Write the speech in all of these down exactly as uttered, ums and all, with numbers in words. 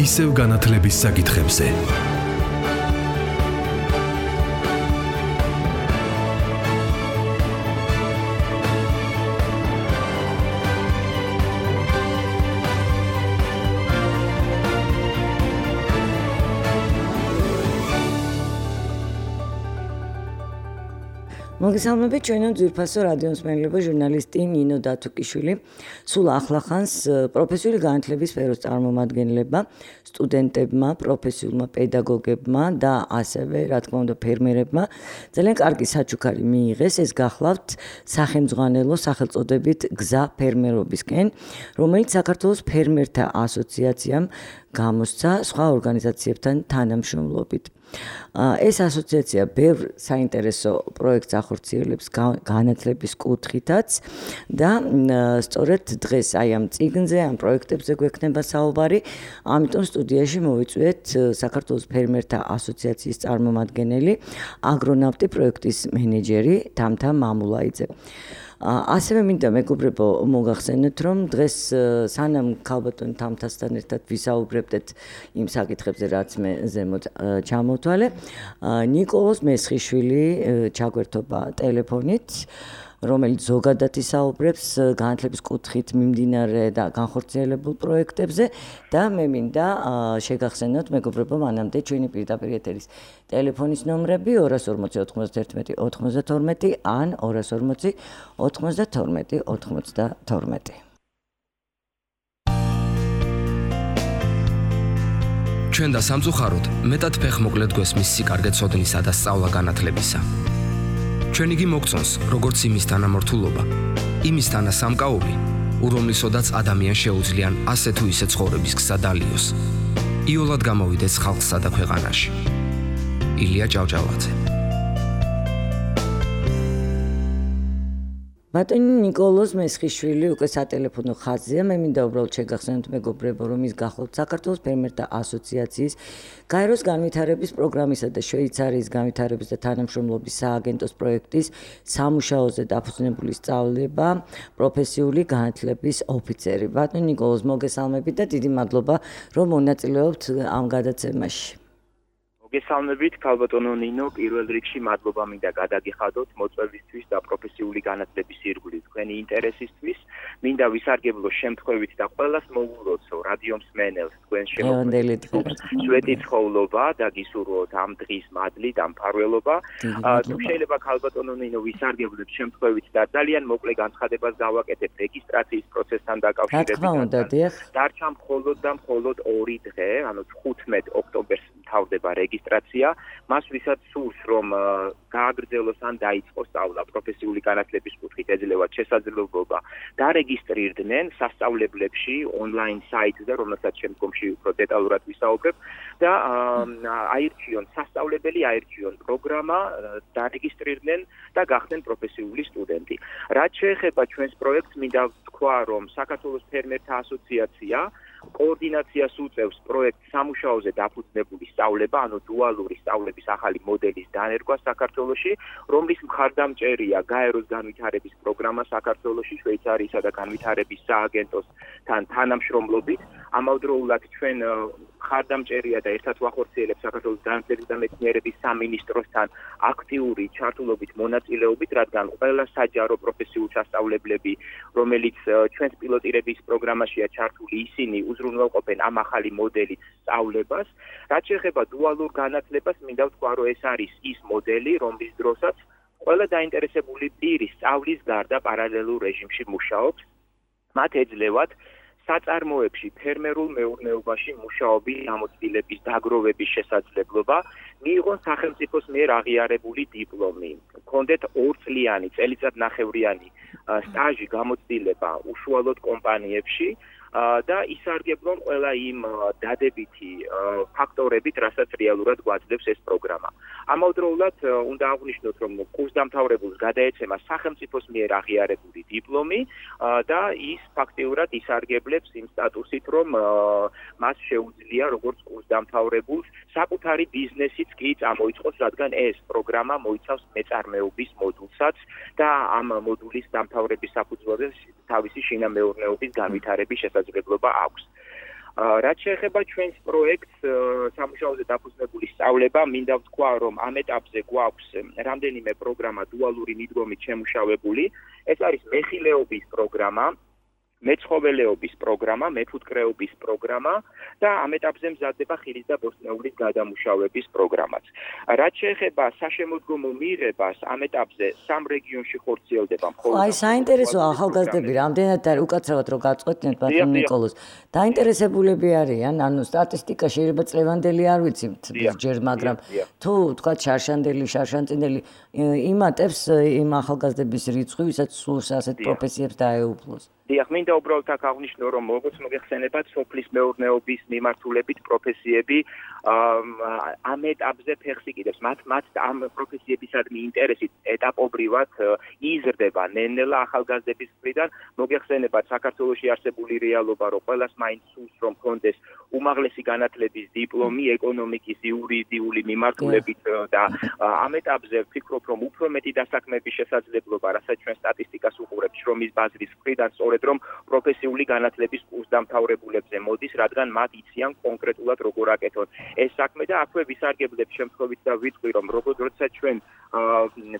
ისევ განათლების საკითხებზე. მოგესალმებით ჩვენო ძვირფასო რადიო მსმენელებო, ჟურნალისტი ნინო დათუკიშვილი სულ ახლახანს პროფესიული განათლების სფეროს წარმომადგენლებმა, სტუდენტებმა, პროფესიულმა პედაგოგებმა და ასევე, რა თქმა უნდა, ფერმერებმა ძალიან კარგი საჩუქარი მიიღეს. ეს გახლავთ სახელმძღვანელო სახელწოდებით გზა ფერმერობისკენ, რომელიც საქართველოს ფერმერთა ასოციაციამ გამოსცა სხვა ორგანიზაციებთან თანამშრომლობით. ეს ასოციაცია ბევრ საინტერესო პროექტს ახორციელებს განათლების კუთხითაც და სწორედ დღეს აი ამ წიგნზე, ამ პროექტებზე გვექნება საუბარი. ამიტომ სტუდიაში მოვიწვიეთ საქართველოს ფერმერთა ასოციაციის წარმომადგენელი, აგრონავტი პროექტის მენეჯერი თამთა მამულაიძე. ასევე მინდა მეგობრებო მოგახსენოთ, რომ დღეს სანამ ქალბატონ თამთასთან ერთად ვისაუბრებდეთ იმ საკითხებზე, რაც მე ზემოთ ჩამოვთვალე, ნიკოლოზ მესხიშვილი ჩაგვერთობა ტელეფონით, რომელიც ზოგადად ისაუბრებს განათლების კუთხით მიმდინარე და განხორციელებულ პროექტებზე და მე მინდა შეგახსენოთ მეგობრებო მანამდე ჩვენი პირდაპირ ეთერის ტელეფონის ნომრები ორას ორმოცი ოცდაერთმეტი ოცდათორმეტი ან ორას ორმოცი ოცდათორმეტი ოცდათორმეტი. ჩვენ და სამწუხაროდ მეტად ფეხმოკლედ გვესმის სიკარგე ცოდნისა და სწავლა განათლებისა. ჩვენ იგი მოგწონს, როგორც იმის თანამორთულობა, იმის თანასამკაული, ურომლისოდაც ადამიანს შეუძლიან ასე თუ ისე ცხოვრების გზა დალიოს. იოლად გამოვიდეს ხალხსა და ქვეყანაში. ილია ჭავჭავაძე. ბატონი ნიკოლოზ მესხიშვილი უკვე სატელეფონო ხაზია. მე მინდა უბრალოდ შეგახსენოთ მეგობრებო, რომ ის გახლავთ საქართველოს ფერმერთა ასოციაციის გაეროს განვითარების პროგრამისა და შვეიცარიის განვითარების და თანამშრომლობის სააგენტოს პროექტის სამუშაოზე დაფუძნებული სწავლება პროფესიული განათლების ოფიცერი. ბატონი ნიკოლოზ, მოგესალმებით და დიდი მადლობა, რომ მონაწილეობთ ამ გადაცემაში. მოგესალმებით, ქალბატონო ნინო, პირველ რიგში მადლობა მინდა გადაგიხადოთ მოწვევისთვის და პროფესიული განათლების ირგვლივ თქვენი ინტერესისთვის. მინდა ვისარგებლო შემთხვევით და ყველას მოვუღოთ რადიო მსმენელს თქვენ შემოგვიყვებით სვეტი ცხოვრობა და გისურვოთ ამ დღის მადლი და მფარველობა. თუ შეიძლება ქალბატონო ნინო ვისარგებლოთ შემთხვევით და ძალიან მოკლე განცხადებას გავაკეთებ რეგისტრაციის პროცესთან დაკავშირებით. დარჩა მხოლოდ და მხოლოდ ორი დღე, ანუ თხუთმეტ ოქტომბერს მთავრდება რეგისტრაცია. მას ვისაც სურს რომ გააგრძელოს ან დაიწყოს სწავლა პროფესიული განათლების კუთხით ეძლევათ შესაძლებლობა დარეგისტრირდნენ სასწავლებლებში ონლაინ საიტზე, რომელსაც შემდგომში უფრო დეტალურად ვისაუბრებ და აირჩიონ სასწავლებელი, აირჩიონ პროგრამა, დარეგისტრირდნენ და გახდნენ პროფესიული სტუდენტი. რაც შეეხება ჩვენს პროექტს, მინდა ვთქვა, რომ საქართველოს ფერმერთა ასოციაცია კოორდინაციას უწევს პროექტ სამუშაოზე დაფუძნებული სწავლება, ანუ დუალური სწავლების ახალი მოდელის დანერგვა საქართველოში, რომლის მხარდამჭერია გაეროს განვითარების პროგრამა საქართველოში, შვეიცარიისა და განვითარების სააგენტოსთან თანამშრომლობით. ამავდროულად ჩვენ მხარდამჭერია და ერთად ვახორციელებთ საქართველოს განათლების და მეცნიერების სამინისტროსთან აქტიური ჩართულობით მონაწილეობით, რადგან ყველა საჯარო პროფესიულ სასწავლებლები, რომელიც ჩვენს პილოტირების პროგრამაშია ჩართული, ისინი უზრუნველყოფენ ამ ახალი მოდელის სწავლებას. რაც შეეხება დუალურ განათლებას, მინდა ვთქვა, რომ ეს არის ის მოდელი, რომლის დროსაც ყველა დაინტერესებული პირი სწავლის გარდა პარალელურ რეჟიმში მუშაობს. მათ ეძლევათ საწარმოებში, ფერმერულ მეურნეობაში მუშაობის გამოცდილების დაგროვების შესაძლებლობა, მიიღონ სახელმწიფოს მიერ აღიარებული დიპლომი, ჰქონდეთ ორწლიანი, წელიწადნახევრიანი სტაჟი გამოცდილება უშუალოდ კომპანიებში და ისარგებლონ ყველა იმ დადებითი ფაქტორებით, რასაც რეალურად გვაძლევს ეს პროგრამა. ამავდროულად უნდა აღვნიშნოთ, რომ კურსდამთავრებულს გადაეცემა სახელმწიფოს მიერ აღიარებული დიპლომი და ის ფაქტიურად ისარგებლებს იმ სტატუსით, რომ მას შეუძლია როგორც კურსდამთავრებულს საკუთარი ბიზნესიც კი წამოიწყოს, რადგან ეს პროგრამა მოიცავს მეწარმეობის მოდულსაც და ამ მოდულის დამთავრების საფუძველზე თავისი შინამეურნეობის განვითარების შესაძლებლობა აქვს. რაც შეეხება ჩვენს პროექტს სამუშაოზე დაფუძნებული სწავლება, მინდა ვთქვა, რომ ამ ეტაპზე გვაქვს რამდენიმე პროგრამა დუალური მიდგომით შემუშავებული. ეს არის მეხილეობის პროგრამა, მეცხოველეობის პროგრამა, მეფუტკრეობის პროგრამა და ამ ეტაპზე მზადდება ხილის და ბოსტნეულის გადამუშავების პროგრამაც. რაც შეეხება საშემოდგომო მიღებას, ამ ეტაპზე სამ რეგიონში ხორციელდება მხოლოდ. აი, საინტერესოა ახალგაზრდები, რამდენად არის უკაცრავად რო გაწყვეტნეთ ბატონ ნიკოლოზ. დაინტერესებულები არიან, ანუ სტატისტიკა შეიძლება წლევანდელი არ ვიცით ჯერ, მაგრამ თუ თქვა შარშანდელი, შარშანწინელი იმატებს იმ ახალგაზრდების რიცხვი, ვისაც სულს ასეთ პროფესიებს დაეუფლოს. დიახ, მინდა უბრალოდ აქ აღნიშნო, რომ როგორც მოგეხსენებათ, სოფლის მეურნეობის მიმართულებით პროფესიები ამ ეტაპზე ფეხს იკიდებს. მათ მათ ამ პროფესიებისადმი ინტერესი ეტაპობრივად იზრდება ნელ-ნელა ახალგაზრდების მხრიდან. მოგეხსენებათ, საქართველოში არსებული რეალობა, რომ ყველას მაინც სურს, რომ ჰქონდეს უმაღლესი განათლების დიპლომი ეკონომიკის იურიდიული მიმართულებით და ამ ეტაპზე ვფიქრობ, რომ უფრო მეტი დასაქმების შესაძლებლობა, რასაც ჩვენ სტატისტიკას უყურებთ შრომის ბაზრის მხრიდან, სწორედ რომ პროფესიული განათლების კურსდამთავრებულებზე მოდის, რადგან მათ იციან კონკრეტულად როგორ აკეთონ ეს საქმე და აქვე ვისარგებლებ შემთხვევით და ვიტყვი, რომ როდესაც ჩვენ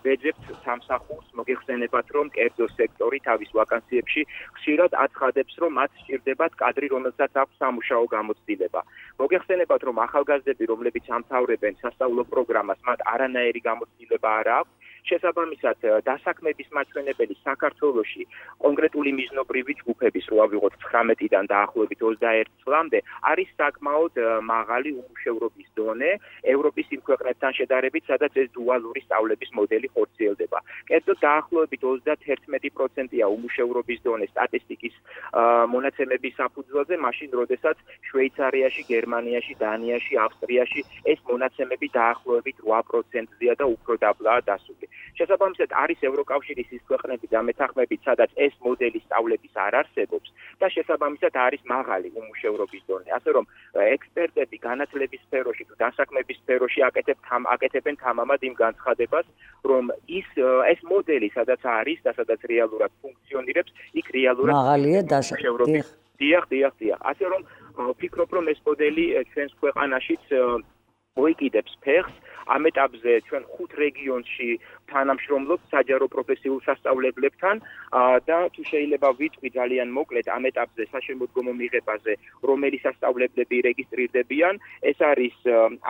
ვეძებთ სამსახურს, მოგეხსენებათ, რომ კერძო სექტორი თავის ვაკანსიებში ხშირად აცხადებს, რომ მათ სჭირდებათ კადრი, რომელსაც აქვს სამუშაო გამოცდილება. მოგეხსენებათ, რომ ახალგაზრდები, რომლებიც ამთავრებენ სასწავლო პროგრამას, მათ არანაირი გამოცდილება არ აქვს. შესაბამისად, დასაქმების მაჩვენებელი საქართველოში კონკრეტული მიზნობრივი ჯგუფების რო ავიღოთ ცხრამეტიდან დაახლოებით ოცდაერთი წლამდე არის საკმაოდ მაღალი უმუშევრობის დონე ევროპის იმ ქვეყნებთან შედარებით, სადაც ეს დუალური სწავლების მოდელი ხორციელდება. კერძოდ დაახლოებით ოცდაათი პროცენტია უმუშევრობის დონე სტატისტიკის მონაცემების საფუძველზე, მაშინ როდესაც შვეიცარიაში, გერმანიაში, დანიაში, ავსტრიაში ეს მონაცემები დაახლოებით რვა პროცენტზეა და უფრო დაბლაა დასული. შესაბამისად, არის ევროკავშირის ის ქვეყნები და მეთანხმებით, სადაც ეს მოდელი სწავლების არ არსებობს და შესაბამისად არის მაღალი უმუშევრობის დონე. ასე რომ ექსპერტები განათლების სფეროში თუ დასაქმების სფეროში აკეთებენ აკეთებენ თამამად იმ განცხადებას, რომ ის ეს მოდელი, სადაც არის და სადაც რეალურად ფუნქციონირებს, იქ რეალურად მაღალია დასაქმების. დიახ, დიახ, დიახ. ასე რომ ვფიქრობ, რომ ეს მოდელი ჩვენს ქვეყანაშიც მოიკიდებს ფეხს. ამ ეტაპზე ჩვენ ხუთ რეგიონში თანამშრომლობთ საჯარო პროფესიულ სასწავლებლებთან და თუ შეიძლება ვიტყვი ძალიან მოკლედ ამ ეტაპზე საშემოდგომო მიღებაზე, რომელი სასწავლებლები რეგისტრირდებიან, ეს არის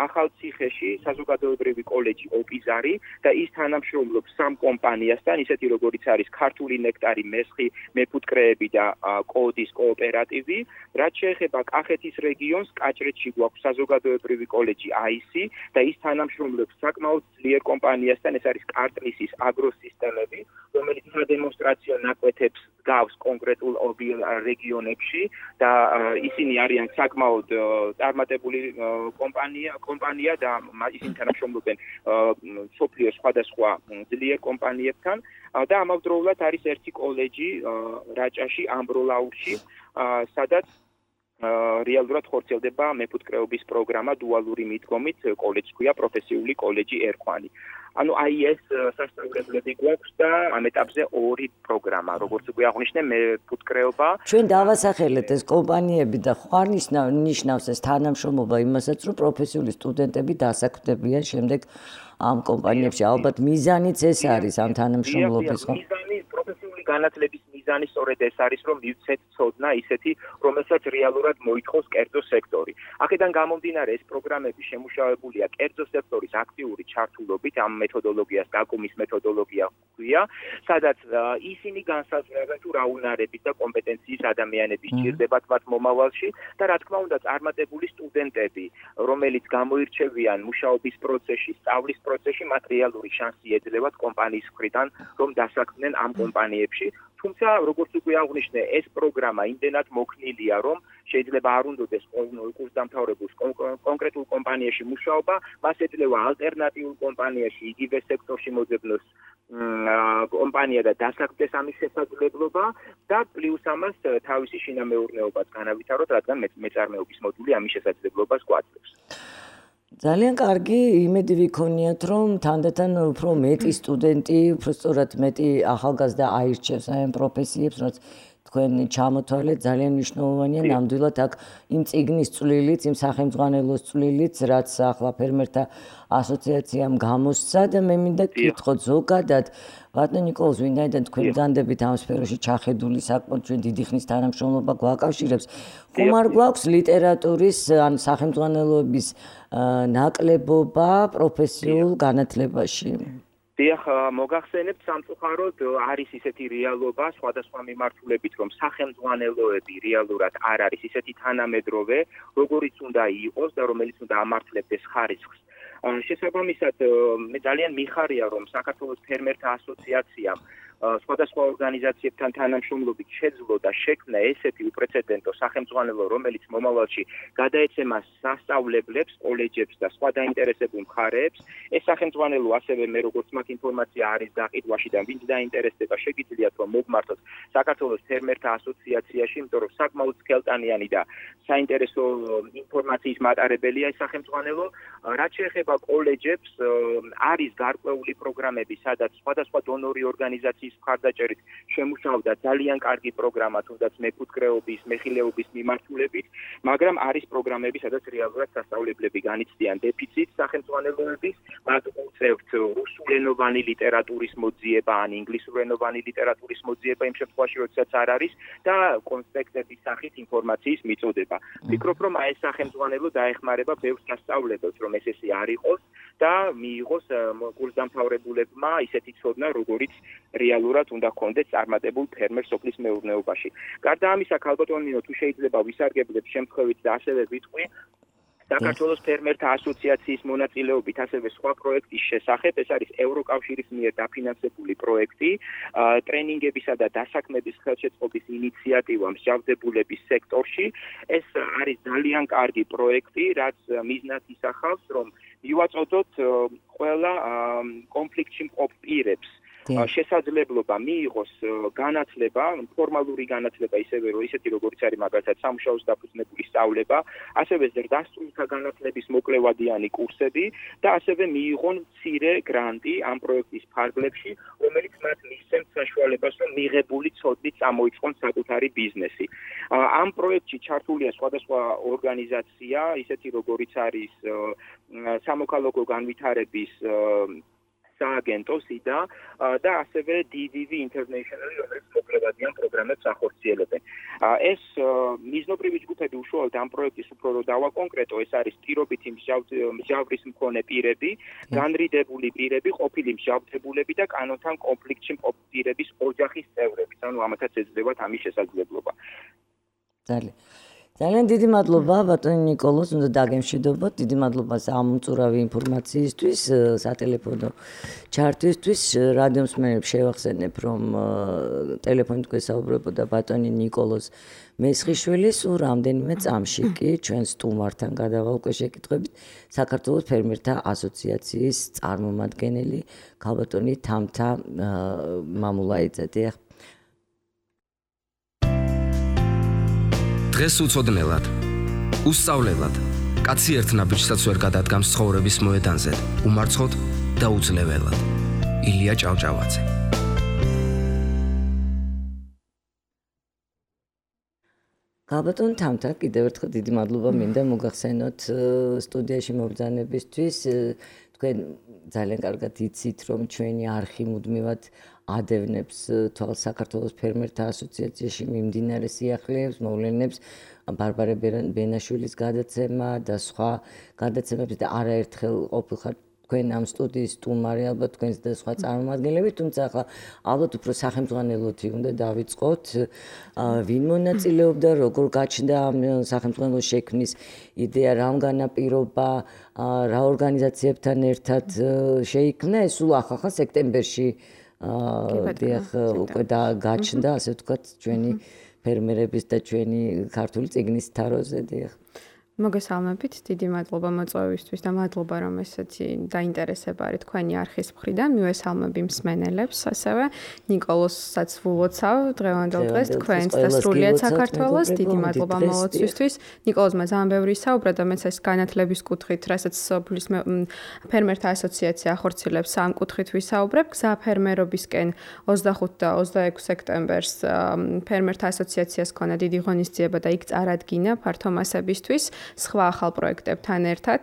ახალციხეში საზოგადოებრივი კოლეჯი ოპიზარი და ის თანამშრომლობს სამ კომპანიასთან, ისეთი როგორიც არის ქართული ნექტარი, მესხი, მეფუტკრეები და კოდის კოოპერატივი. რაც შეეხება კახეთის რეგიონს, კაჭრეთში გვაქვს საზოგადოებრივი კოლეჯი აისი და ის თანამშრომლობს საკმაოდ ძლიერ კომპანიასთან, ეს არის კარტლისის აგროსისტემები, რომელიც სადემონსტრაციო ნაკვეთებს გავს კონკრეტულ რეგიონებში და ისინი არიან საკმაოდ წარმატებული კომპანია, კომპანია და ისინი თანამშრომლობენ მსოფლიოს სხვადასხვა ძლიერ კომპანიებთან და ამავდროულად არის ერთი კოლეჯი რაჭაში, ამბროლაურში, სადაც რეალურად ხორციელდება მეფუტკრეობის პროგრამა დუალური მიდგომით, კოლეჯს ქვია პროფესიული კოლეჯი ერქვანი. ანუ აი ეს სასწავლებლები გვაქვს და ამ ეტაპზე ორი პროგრამა, როგორც უკვე აღნიშნე, მეფუტკრეობა. ჩვენ დავასახელეთ ეს კომპანიები და ხარ ნიშნავს ეს თანამშრომლობა იმასაც, რომ პროფესიული სტუდენტები დასაქმდებიან შემდეგ ამ კომპანიებში. ალბათ მიზანიც ეს არის ამ თანამშრომლობის, ხო? მიზანი პროფესიული განათლების მიზანი სწორედ ეს არის, რომ მივცეთ ცოდნა ისეთი, რომელსაც რეალურად მოითხოვს კერძო სექტორი. აქედან გამომდინარე, ეს პროგრამები შემუშავებულია კერძო სექტორის აქტიური ჩართულობით, ამ მეთოდოლოგიას გაკუმის მეთოდოლოგია ჰქვია, სადაც ისინი განსაზღვრავენ თუ რა უნარების და კომპეტენციის ადამიანები სჭირდებათ მათ მომავალში და რა თქმა უნდა წარმატებული სტუდენტები, რომელიც გამოირჩევიან მუშაობის პროცესში, სწავლის პროცესში, მათ რეალური შანსი ეძლევათ კომპანიის მხრიდან, რომ დასაქმდნენ ამ კომპანიებში. თუმცა, როგორც უკვე აღნიშნე, ეს პროგრამა იმდენად მოქნილია, რომ შეიძლება არ უნდოდეს კურსდამთავრებულს კონკრეტულ კომპანიაში მუშაობა, მას ეძლევა ალტერნატიულ კომპანიაში, იგივე სექტორში მოძებნოს კომპანია და დასაქმდეს ამის შესაძლებლობა და პლუს ამას თავისი შინამეურნეობაც განავითაროთ, რადგან მეწარმეობის მოდული ამის შესაძლებლობას გვაძლევს. ძალიან კარგი იმედი ვიქონიათ, რომ თანდათან უფრო მეტი სტუდენტი, უფრო სწორად მეტი ახალგაზრდა აირჩევს აი ამ პროფესიებს, რაც თქვენ ჩამოთვალეთ ძალიან მნიშვნელოვანია ნამდვილად აქ იმ წიგნის წვლილიც, იმ სახელმძღვანელოს წვლილიც, რაც ახლა ფერმერთა ასოციაციამ გამოსცა და მე მინდა გკითხოთ ზოგადად ბატონ ნიკოლოზ, ვინაიდან თქვენ განდებით ამ სფეროში ჩახედული საკმაოდ ჩვენ დიდი ხნის თანამშრომლობა გვაკავშირებს, ხომ არ გვაქვს ლიტერატურის ან სახელმძღვანელოების ნაკლებობა პროფესიულ განათლებაში? დიახ, მოგახსენებთ სამწუხაროდ არის ისეთი რეალობა სხვადასხვა მიმართულებით, რომ სახელმძღვანელოები რეალურად არ არის ისეთი თანამედროვე, როგორიც უნდა იყოს და რომელიც უნდა ამართლებდეს ხარისხს. შესაბამისად, მე ძალიან მიხარია, რომ საქართველოს ფერმერთა ასოციაციამ სხვადასხვა ორგანიზაციებთან თანამშრომლობით შეძლო და შექმნა ესეთი უპრეცედენტო სახელმძღვანელო, რომელიც მომავალში გადაეცემა სასწავლებლებს, კოლეჯებს და სხვა დაინტერესებულ მხარეებს. ეს სახელმძღვანელო ასევე მე როგორც მაქვს ინფორმაცია არის გაყიდვაში და ვინც დაინტერესდება, შეგიძლიათ რომ მოგმართოთ საქართველოს ფერმერთა ასოციაციაში, იმიტომ რომ საკმაოდ სქელტანიანი და საინტერესო ინფორმაციის მატარებელია ეს სახელმძღვანელო. რაც შეეხება კოლეჯებს, არის გარკვეული პროგრამები, სადაც სხვადასხვა დონორი ორგანიზაციის მხარდაჭერით შემუშავდა ძალიან კარგი პროგრამა, თუნდაც მეკუთქრეობის, მეხილეობის მიმართულებით, მაგრამ არის პროგრამები, სადაც რეალურად სასწავლებლები განიცდიან დეფიციტს სახელმძღვანელოების, მათ უწევთ რუსულენოვანი ლიტერატურის მოძიება ან ინგლისურენოვანი ლიტერატურის მოძიება იმ შემთხვევაში, როდესაც არ არის და კონსპექტების სახით ინფორმაციის მიწოდება. ვფიქრობ, რომ აი ეს სახელმძღვანელო დაეხმარება ბევრ სასწავლებელს, რომ ეს ესე არ იყოს და მიიღოს კურსდამთავრებულებმა ისეთი ცოდნა, როგორიც რეალურად უნდა ჰქონდეს წარმატებულ ფერმერ სოფლის მეურნეობაში. გარდა ამისა, ქალბატონ ნინო, თუ შეიძლება ვისარგებლებ შემთხვევით და ასევე ვიტყვი საქართველოს ფერმერთა ასოციაციის მონაწილეობით ასევე სხვა პროექტის შესახებ, ეს არის ევროკავშირის მიერ დაფინანსებული პროექტი, ტრენინგებისა და დასაქმების ხელშეწყობის ინიციატივა მსჯავრდებულების სექტორში. ეს არის ძალიან კარგი პროექტი, რაც მიზნად ისახავს, რომ მივაწოდოთ ყველა კონფლიქტში მყოფ პირებს შესაძლებლობა მიიღოს განათლება, ფორმალური განათლება ისევე რომ ისეთი როგორც არის მაგალითად სამუშაოს დაფუძნებული სწავლება, ასევე ზრდასრულთა განათლების მოკლევადიანი კურსები და ასევე მიიღონ მცირე გრანტი ამ პროექტის ფარგლებში, რომელიც მათ მისცემს საშუალებას, რომ მიღებული ცოდნით წამოიწყონ საკუთარი ბიზნესი. ამ პროექტში ჩართულია სხვადასხვა ორგანიზაცია, ისეთი როგორიც არის სამოქალაქო განვითარების სააგენტო სიდა და ასევე დი ვი ვი International, რომელიც მოკლევადიან პროგრამებს ახორციელებენ. ეს მიზნობრივი ჯგუფები უშუალოდ ამ პროექტის უფრო რო დავაკონკრეტო, ეს არის პირობითი მსჯავრის მქონე პირები, განრიდებული პირები, ყოფილი მსჯავრდებულები და კანონთან კონფლიქტში მყოფი პირების ოჯახის წევრები. ანუ ამათაც ეძლევათ ამის შესაძლებლობა. ძალიან ძალიან დიდი მადლობა ბატონი ნიკოლოზ, უნდა დაგემშვიდობოთ. დიდი მადლობა ამ უწურავი ინფორმაციისთვის, სატელეფონო ჩართვისთვის. რადიო მსმენელებს შევახსენებ, რომ ტელეფონით გვესაუბრებოდა ბატონი ნიკოლოზ მესხიშვილი, სულ რამდენიმე წამში კი ჩვენ სტუმართან გადავალ უკვე შეკითხვებით საქართველოს ფერმერთა ასოციაციის წარმომადგენელი ქალბატონი თამთა მამულაიძე. დღეს უცოდნელად, უსწავლელად, კაცი ერთ ნაბიჯსაც ვერ გადადგამს ცხოვრების მოედანზე, უმარცხოდ და უძლეველად. ილია ჭავჭავაძე. ქალბატონ თამთა, კიდევ ერთხელ დიდი მადლობა მინდა მოგახსენოთ სტუდიაში მობრძანებისთვის. თქვენ ძალიან კარგად იცით, რომ ჩვენი არხი მუდმივად ადევნებს თვალს საქართველოს ფერმერთა ასოციაციაში მიმდინარე სიახლეებს, მოვლენებს, ბარბარე ბენაშვილის გადაცემა და სხვა გადაცემებს და არაერთხელ ყოფილხარ თქვენ ამ სტუდიის სტუმარი, ალბათ თქვენს და სხვა წარმომადგენლები, თუმცა ახლა ალბათ უფრო სახელმძღვანელოთი უნდა დავიწყოთ, ვინ მონაწილეობდა, როგორ გაჩნდა ამ სახელმძღვანელოს შექმნის იდეა, რამ განაპირობა, რა ორგანიზაციებთან ერთად შეიქმნა, ეს სულ ახლა სექტემბერში დიახ უკვე და გაჩნდა, ასე ვთქვათ, ჩვენი ფერმერების და ჩვენი ქართული წიგნის თაროზე, დიახ. მოგესალმებით, დიდი მადლობა მოწვევისთვის და მადლობა რომ ესეთი დაინტერესება არის თქვენი არხის მხრიდან. მივესალმები მსმენელებს, ასევე ნიკოლოზსაც ვულოცავ დღევანდელ დღეს თქვენს და სრულიად საქართველოს. დიდი მადლობა მოლოცვისთვის. ნიკოლოზმა ძალიან ბევრი ისაუბრა და მეც ეს განათლების კუთხით, რასაც სოფლის ფერმერთა ასოციაცია ახორციელებს ამ კუთხით ვისაუბრებ. გზა ფერმერობისკენ ოცდახუთი და ოცდაექვსი სექტემბერს ფერმერთა ასოციაციას ქონა დიდი ღონისძიება და იქ წარადგინა ფართო მასებისთვის. სხვა ახალ პროექტებთან ერთად.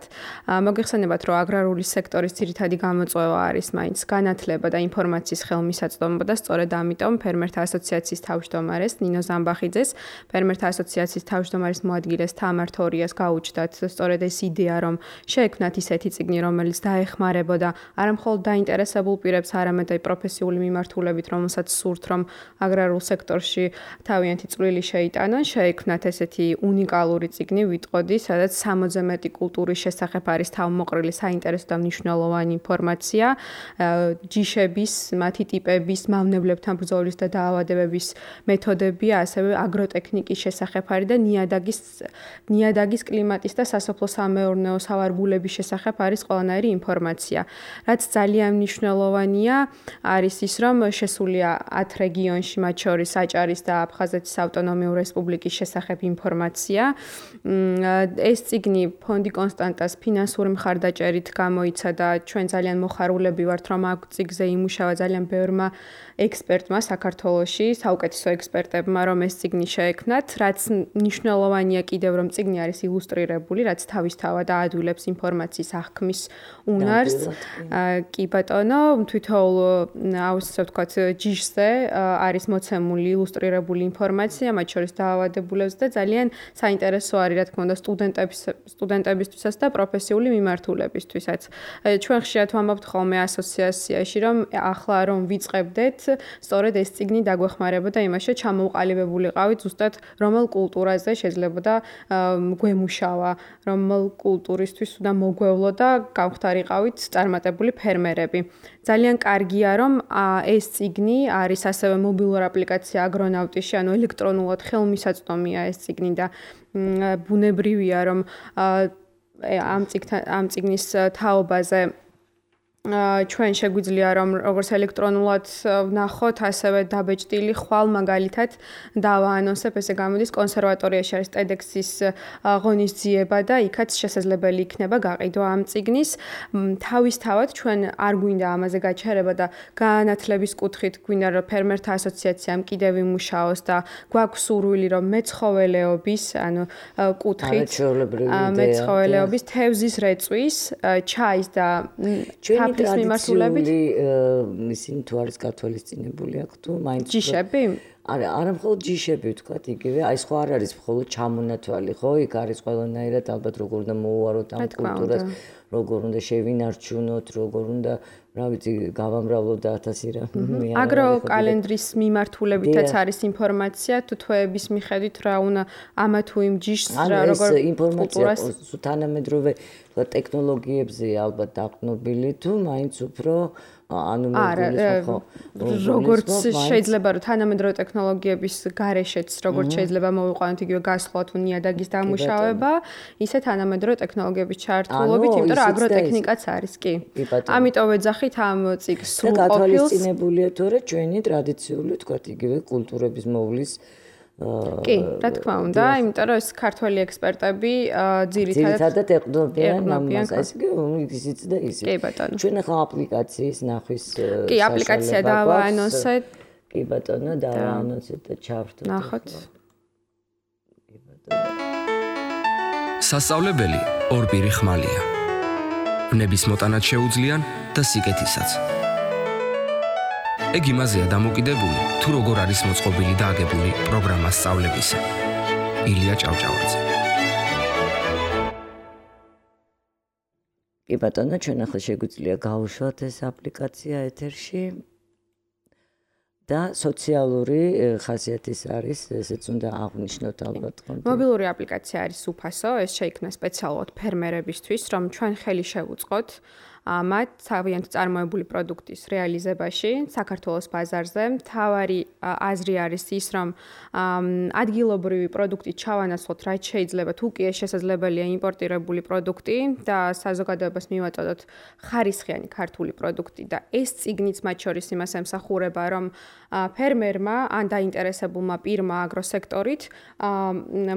მოგეხსენებათ, რომ აგრარული სექტორის ძირითადი გამოწვევა არის მაინც განათლება და ინფორმაციის ხელმისაწვდომობა და სწორედ ამიტომ ფერმერთა ასოციაციის თავმჯდომარეს ნინო ზამბახიძეს, ფერმერთა ასოციაციის თავმჯდომარის მოადგილეს თამარ თორიას გაუჩნდათ სწორედ ეს იდეა, რომ შეექმნათ ისეთი წიგნი, რომელიც დაეხმარებოდა არა მხოლოდ დაინტერესებულ პირებს, არამედ აი პროფესიული მიმართულებით, რომელსაც სურთ, რომ აგრარულ სექტორში თავიანთი წვლილი შეიტანონ, შეექმნათ ესეთი უნიკალური წიგნი ვიტყოდი, სადაც სამოცზე მეტი კულტურის შესახებ არის თავმოყრილი საინტერესო და მნიშვნელოვანი ინფორმაცია, ჯიშების, მათი ტიპების, მავნებლებთან ბრძოლის და დაავადებების მეთოდები, ასევე აგროტექნიკის შესახებ არის და ნიადაგის ნიადაგის კლიმატის და სასოფლო-სამეურნეო სავარგულების შესახებ არის ყველანაირი ინფორმაცია. რაც ძალიან მნიშვნელოვანია, არის ის, რომ შესულია ათ რეგიონში, მათ შორის აჭარის და აფხაზეთის ავტონომიური რესპუბლიკის შესახებ ინფორმაცია. ეს წიგნი ფონდი კონსტანტას ფინანსური მხარდაჭერით გამოიცა და ჩვენ ძალიან მოხარულები ვართ, რომ აქ წიგნზე იმუშავა ძალიან ბევრმა ექსპერტმა საქართველოში, საუკეთესო ექსპერტებმა, რომ ეს წიგნი შეექმნათ, რაც მნიშვნელოვანია კიდევ, რომ წიგნი არის ილუსტრირებული, რაც თავისთავად აადვილებს ინფორმაციის აღქმის უნარს. კი ბატონო, თვითოულ ასე ვთქვათ, ჯიშზე არის მოცემული ილუსტრირებული ინფორმაცია, მათ შორის დაავადებულებს და ძალიან საინტერესო არის, რა თქმა უნდა, სტუდენტების სტუდენტებისთვისაც და პროფესიული მიმართულებისთვისაც. ჩვენ ხშირად ვამბობთ ხოლმე ასოციაციაში, რომ ახლა რომ ვიწყებდეთ, სწორედ ეს წიგნი დაგვეხმარებოდა იმაში, ჩამოუყალიბებულიყავით ზუსტად რომელ კულტურაზე შეიძლება და გვემუშავა, რომელ კულტურისთვის უნდა მოგვევლო და გავხდარიყავით წარმატებული ფერმერები. ძალიან კარგია, რომ ეს წიგნი არის ასევე მობილური აპლიკაცია აგრონავტიში, ანუ ელექტრონულად ხელმისაწვდომია ეს წიგნი და ბუნებრივია, რომ ამ წიგნთან ამ წიგნის თაობაზე ჩვენ შეგვიძლია რომ როგორც ელექტრონულად ვნახოთ, ასევე დაბეჭდილი ხვალ მაგალითად დავაანონსებ, ესე გამოდის კონსერვატორიაში არის TEDx-ის ღონისძიება და იქაც შესაძლებელი იქნება გაყიდვა ამ წიგნის. თავისთავად ჩვენ არ გვინდა ამაზე გაჩერება და განათლების კუთხით გვინდა რომ ფერმერთა ასოციაციამ კიდევ იმუშაოს და გვაქვს სურვილი რომ მეცხოველეობის, ანუ კუთხით მეცხოველეობის, თევზის რეწვის, ჩაის და ტრადიციული ისინი თუ არის გათვალისწინებული აქ თუ მაინც ჯიშები? არა, არა მხოლოდ ჯიშები ვთქვათ იგივე, აი სხვა არ არის მხოლოდ ჩამონათვალი, ხო? იქ არის ყველანაირად ალბათ როგორ უნდა მოუვაროთ ამ კულტურას, როგორ უნდა შევინარჩუნოთ, როგორ უნდა, რა ვიცი, გავამრავლოთ და ათასი რამე. აგროკალენდრის მიმართულებითაც არის ინფორმაცია, თუ თვეების მიხედვით რა უნდა ამა თუ იმ ჯიშს რა როგორ კულტურას თანამედროვე ტექნოლოგიებზე ალბათ დაყნობილი თუ მაინც უფრო ანუ ხო როგორც შეიძლება რომ თანამედროვე ტექნოლოგიების გარეშეც როგორც შეიძლება მოვიყვანოთ იგივე გასხლა თუ ნიადაგის დამუშავება, ისე თანამედროვე ტექნოლოგიების ჩართულობით, იმიტომ რომ აგროტექნიკაც არის, კი. ამიტომ ვეძახით ამ წიგნს სრულყოფილს. და გათვალისწინებულია თორე ჩვენი ტრადიციული თქვათ იგივე კულტურების მოვლის კი, რა თქმა უნდა, იმიტომ რომ ეს ქართველი ექსპერტები ძირითადად ძირითადად ეყნობიან ამას, ეს ისიც და ისიც. კი ბატონო. ჩვენ ახლა აპლიკაციის ნახვის კი, აპლიკაცია დავაანონსეთ. კი ბატონო, დავაანონსეთ და ჩავრთოთ. ნახოთ. კი ბატონო. სასწავლებელი ორპირი ხმალია. ნების მოტანაც შეუძლიან და სიკეთისაც. ეგ იმაზეა დამოკიდებული, თუ როგორ არის მოწყობილი და აგებული პროგრამა სწავლებისა. ილია ჭავჭავაძე. კი ბატონო, ჩვენ ახლა შეგვიძლია გავუშვათ ეს აპლიკაცია ეთერში და სოციალური ხასიათის არის, ესეც უნდა აღვნიშნოთ ალბათ. მობილური აპლიკაცია არის უფასო, ეს შეიქმნა სპეციალურად ფერმერებისთვის, რომ ჩვენ ხელი შევუწყოთ მათ თავიანთ წარმოებული პროდუქტის რეალიზებაში საქართველოს ბაზარზე. მთავარი აზრი არის ის, რომ ადგილობრივი პროდუქტი ჩავანაცვლოთ, რაც შეიძლება, თუ კი ეს შესაძლებელია იმპორტირებული პროდუქტი და საზოგადოებას მივაწოდოთ ხარისხიანი ქართული პროდუქტი და ეს წიგნიც მათ შორის იმას ემსახურება, რომ ფერმერმა ან დაინტერესებულმა პირმა აგროსექტორით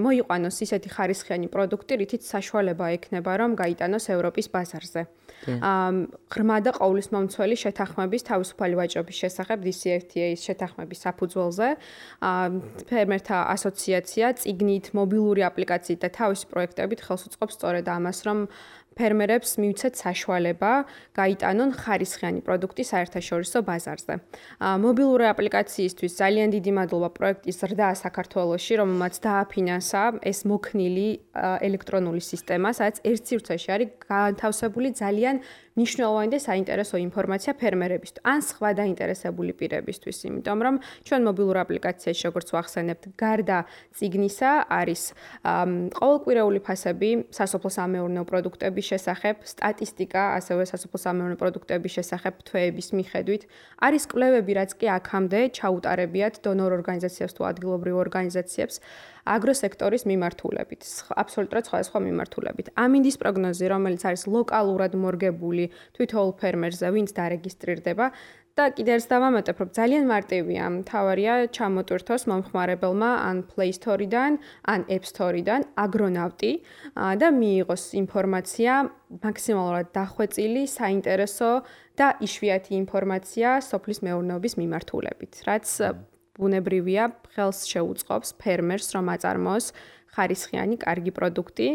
მოიყვანოს ისეთი ხარისხიანი პროდუქტი, რითიც საშუალება ექნება, რომ გაიტანოს ევროპის ბაზარზე. ღრმა და ყოვლისმომცველი შეთანხმების თავისუფალი ვაჭრობის შესახებ დი სი ეფ თი ეის შეთანხმების საფუძველზე ფერმერთა ასოციაცია წიგნით, მობილური აპლიკაციით და თავისი პროექტებით ხელს უწყობს სწორედ ამას, რომ ფერმერებს მივცეთ საშუალება გაიტანონ ხარისხიანი პროდუქტი საერთაშორისო ბაზარზე. მობილური აპლიკაციისთვის ძალიან დიდი მადლობა პროექტის ზრდა საქართველოში, რომელმაც დააფინანსა ეს მოქნილი ელექტრონული სისტემა, სადაც ერთ სივრცეში არის განთავსებული ძალიან მნიშვნელოვანი და საინტერესო ინფორმაცია ფერმერებისთვის ან სხვა დაინტერესებული პირებისთვის, იმიტომ რომ ჩვენ მობილურ აპლიკაციაში როგორც ვახსენებთ, გარდა წიგნისა არის ყოველკვირეული ფასები სასოფლო-სამეურნეო პროდუქტების შესახებ, სტატისტიკა, ასევე სასოფლო-სამეურნეო პროდუქტების შესახებ თვეების მიხედვით, არის კვლევები, რაც კი აქამდე ჩაუტარებიათ დონორ ორგანიზაციებს თუ ადგილობრივ ორგანიზაციებს აგროსექტორის მიმართულებით, აბსოლუტურად სხვადასხვა მიმართულებით. ამინდის პროგნოზი, რომელიც არის ლოკალურად მორგებული თვითოულ ფერმერზე, ვინც დარეგისტრირდება და კიდევ ერთ დავამატებ, რომ ძალიან მარტივია, მთავარია ჩამოტვირთოს მომხმარებელმა ან Play Store-დან, ან App Store-დან აგრონავტი და მიიღოს ინფორმაცია მაქსიმალურად დახვეწილი, საინტერესო და იშვიათი ინფორმაცია სოფლის მეურნეობის მიმართულებით, რაც ბუნებრივია ხელს შეუწყობს ფერმერს, რომ აწარმოოს ხარისხიანი კარგი პროდუქტი,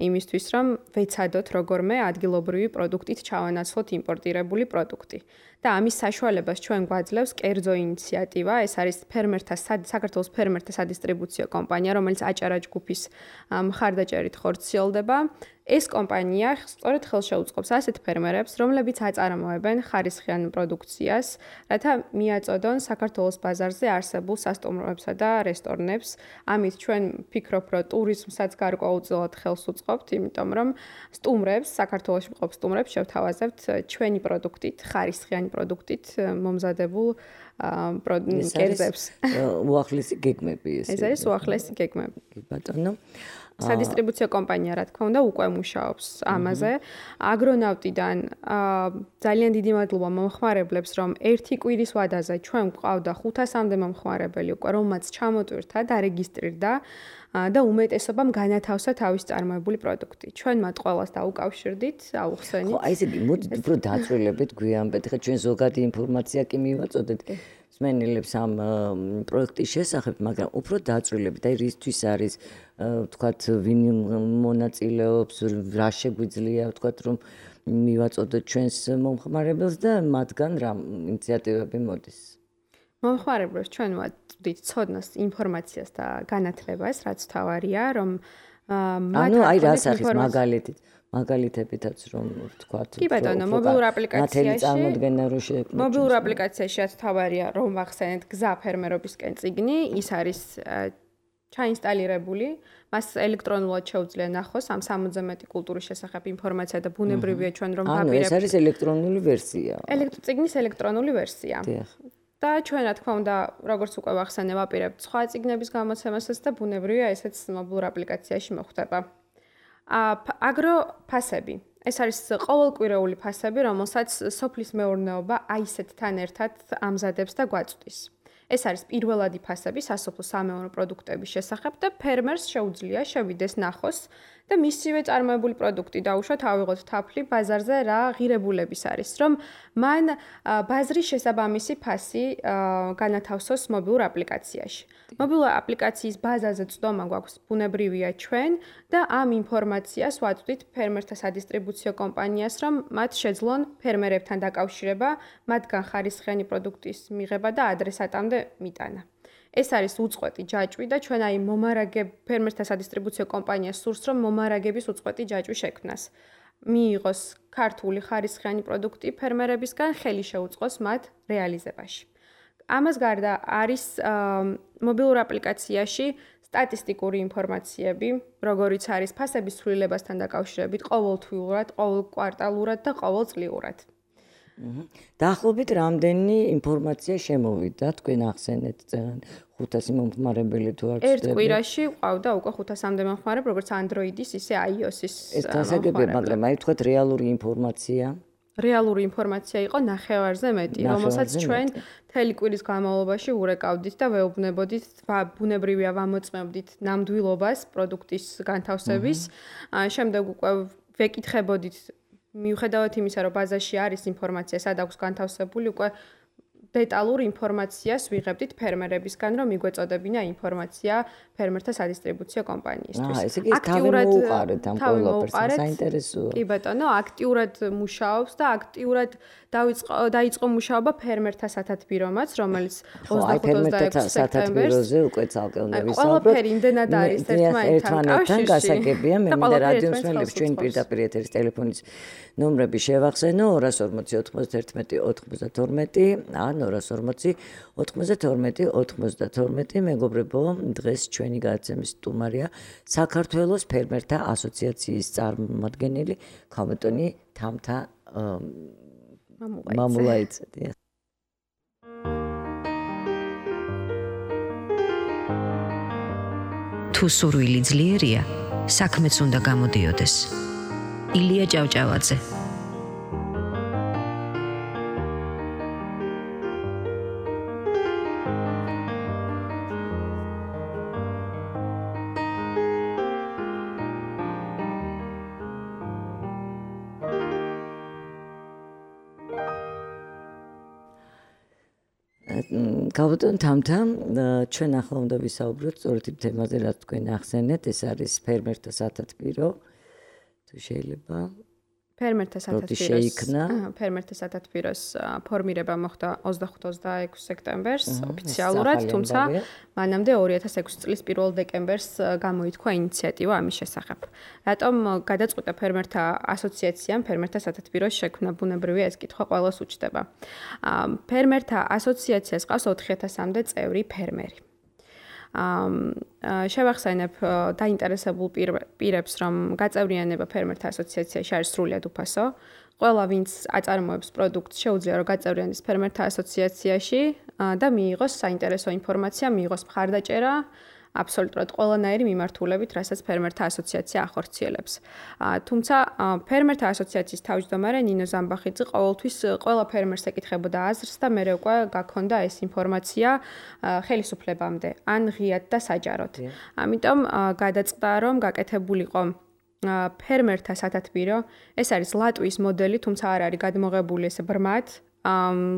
იმისთვის რომ ვეცადოთ როგორმე ადგილობრივი პროდუქტით ჩავანაცვლოთ იმპორტირებული პროდუქტი. და ამის საშუალებას ჩვენ გვაძლევს კერძო ინიციატივა, ეს არის ფერმერთა საქართველოს ფერმერთა სადისტრიბუციო კომპანია, რომელიც აჭარა ჯგუფის მხარდაჭერით ხორციელდება. ეს კომპანია სწორედ ხელს შეუწყობს ასეთ ფერმერებს, რომლებიც აწარმოებენ ხარისხიან პროდუქციას, რათა მიაწოდონ საქართველოს ბაზარზე არსებულ სასტუმროებსა და რესტორნებს. ამით ჩვენ ვფიქრობ, რომ ტურიზმსაც გარკვეულწილად ხელს უწყობთ, იმიტომ რომ სტუმრებს, საქართველოში მყოფ სტუმრებს შევთავაზებთ ჩვენი პროდუქტით, ხარისხიანი პროდუქტით მომზადებულ კერძებს. უახლესი გეგმები ეს. ეს არის უახლესი გეგმები. კი ბატონო. სადისტრიბუციო კომპანია, რა თქმა უნდა, უკვე მუშაობს ამაზე. აგრონავტიდან ძალიან დიდი მადლობა მომხმარებლებს, რომ ერთი კვირის ვადაზე ჩვენ გვყავდა ხუთასამდე მომხმარებელი უკვე, რომელმაც ჩამოტვირთა და რეგისტრირდა და უმეტესობამ განათავსა თავის წარმოებული პროდუქტი. ჩვენ მათ ყველას დაუკავშირდით, აუხსენით. ხო, აი ესე იგი, მოდით უფრო დაწვრილებით გვიანბეთ, ხა ჩვენ ზოგადი ინფორმაცია კი მივაწოდეთ მსმენელებს ამ პროექტის შესახებ, მაგრამ უფრო დაწვრილებით, აი რისთვის არის ვთქვათ, ვინ მონაწილეობს, რა შეგვიძლია, ვთქვათ, რომ მივაწოდოთ ჩვენს მომხმარებელს და მათგან რა ინიციატივები მოდის. მომხმარებლებს ჩვენ ვაწვდით ცოდნას, ინფორმაციას და განათლებას, რაც თავარია, რომ მათ ანუ აი რა სახის მაგალითით მაგალითებითაც რომ ვთქვათ, კი ბატონო, მობილურ აპლიკაციაში წარმოდგენა რო შეექმნათ. მობილურ აპლიკაციაში რაც თავარია, რომ ვახსენეთ გზა ფერმერობისკენ წიგნი, ის არის ჩაინსტალირებული, მას ელექტრონულად შეუძლია ნახოს ამ სამოცზე მეტი კულტურის შესახებ ინფორმაცია და ბუნებრივია ჩვენ რომ ვაპირებთ. ანუ ეს არის ელექტრონული ვერსია. წიგნის ელექტრონული ვერსია. და ჩვენ რა თქმა უნდა, როგორც უკვე ვახსენე, ვაპირებთ სხვა წიგნების გამოცემასაც და ბუნებრივია ესეც მობილურ აპლიკაციაში მოხდება. აგროფასები. ეს არის ყოველკვირეული ფასები, რომელსაც სოფლის მეურნეობა აისეთთან ერთად ამზადებს და გვაწვდის. ეს არის პირველადი ფასები სასოფლო-სამეურნეო პროდუქტების შესახებ და ფერმერს შეუძლია შევიდეს ნახოს და მისივე წარმოებული პროდუქტი დაუშვათ, ავიღოთ თაფლი ბაზარზე რა ღირებულების არის, რომ მან ბაზრის შესაბამისი ფასი განათავსოს მობილურ აპლიკაციაში. მობილურ აპლიკაციის ბაზაზე წვდომა გვაქვს ბუნებრივია ჩვენ და ამ ინფორმაციას ვაწვდით ფერმერთა სადისტრიბუციო კომპანიას, რომ მათ შეძლონ ფერმერებთან დაკავშირება, მათგან ხარისხიანი პროდუქტის მიღება და ადრესატამდე მიტანა. ეს არის უწყვეტი ჯაჭვი და ჩვენ აი მომარაგებ ფერმერთა სადისტრიბუციო კომპანიას სურს, რომ მომარაგების უწყვეტი ჯაჭვი შექმნას. მიიღოს ქართული ხარისხიანი პროდუქტი ფერმერებისგან, ხელი შეუწყოს მათ რეალიზებაში. ამას გარდა არის მობილურ აპლიკაციაში სტატისტიკური ინფორმაციები, როგორიც არის ფასების ცვლილებასთან დაკავშირებით, ყოველთვიურად, ყოველ კვარტალურად და ყოველწლიურად. დაახლოებით რამდენი ინფორმაცია შემოვიდა თქვენ ახსენეთ ხუთასი მომხმარებელი თუ არ ერთ კვირაში ყავდა უკვე ხუთასამდე მომხმარებელი, როგორც Android-ის, ისე iOS-ის. ეს გასაგებია, მაგრამ აი თქვათ რეალური ინფორმაცია. რეალური ინფორმაცია იყო ნახევარზე მეტი, რომელსაც ჩვენ მთელი კვირის განმავლობაში ურეკავდით და ვეუბნებოდით, ბუნებრივია ვამოწმებდით ნამდვილობას პროდუქტის განთავსების. შემდეგ უკვე ვეკითხებოდით მიუხედავად იმისა, რომ ბაზაში არის ინფორმაცია, სად აქვს განთავსებული, უკვე დეტალურ ინფორმაციას ვიღებდით ფერმერებისგან, რომ მიგვეწოდებინა ინფორმაცია ფერმერთა სადისტრიბუციო კომპანიისთვის. აა, ესე იგი თავი მოუყარეთ ამ ყველაფერს, საინტერესოა. კი ბატონო, აქტიურად მუშაობს და აქტიურად დაიწყო დაიწყო მუშაობა ფერმერთა სათათბირომაც, რომელიც ოცდახუთ ოცდაექვსი სექტემბერზე უკვე ცალკეულად ვისაუბროთ. ყველაფერი იმდენად არის ერთმანეთთან კავშირში. გასაგებია, მე მინდა რადიო მსმენელებს ჩვენ პირდაპირ ეთერის ტელეფონის ნომრები შევახსენო ორას ორმოცი ოცდაერთმეტი ოცდათორმეტი ან ორას ორმოცი ოცდათორმეტი ოცდათორმეტი. მეგობრებო, დღეს ჩვენი გადაცემის სტუმარია საქართველოს ფერმერთა ასოციაციის წარმომადგენელი ქალბატონი თამთა მამულაიძე. თუ სურვილი ძლიერია, საქმეც უნდა გამოდიოდეს. ილია ჭავჭავაძე. ქალბატონ თამთა, ჩვენ ახლა უნდა ვისაუბროთ სწორედ იმ თემაზე, რაც თქვენ ახსენეთ, ეს არის ფერმერთა სათათბირო. თუ შეიძლება ფერმერთა სათათბიროს ფერმერთა სათათბიროს ფორმირება მოხდა ოცდახუთ ოცდაექვსი სექტემბერს ოფიციალურად, თუმცა მანამდე ორი ათას ექვსი წლის პირველ დეკემბერს გამოითქვა ინიციატივა ამის შესახებ. რატომ გადაწყვიტა ფერმერთა ასოციაციამ ფერმერთა სათათბიროს შექმნა? ბუნებრივია ეს კითხვა ყველას უჩნდება. ფერმერთა ასოციაციას ყავს ოთხი ათასამდე წევრი ფერმერი. შევახსენებ დაინტერესებულ პირებს, რომ გაწევრიანება ფერმერთა ასოციაციაში არის სრულიად უფასო. ყველა, ვინც აწარმოებს პროდუქტს, შეუძლია რომ გაწევრიანდეს ფერმერთა ასოციაციაში და მიიღოს საინტერესო ინფორმაცია, მიიღოს მხარდაჭერა აბსოლუტურად ყველანაირი მიმართულებით, რასაც ფერმერთა ასოციაცია ახორციელებს. თუმცა ფერმერთა ასოციაციის თავმჯდომარე ნინო ზამბახიძე ყოველთვის ყველა ფერმერს ეკითხებოდა აზრს და მერე უკვე გაქონდა ეს ინფორმაცია ხელისუფლებამდე, ან ღიად და საჯაროდ. ამიტომ გადაწყდა, რომ გაკეთებულიყო ფერმერთა სათათბირო. ეს არის ლატვიის მოდელი, თუმცა არ არის გადმოღებული ესე ბრმად.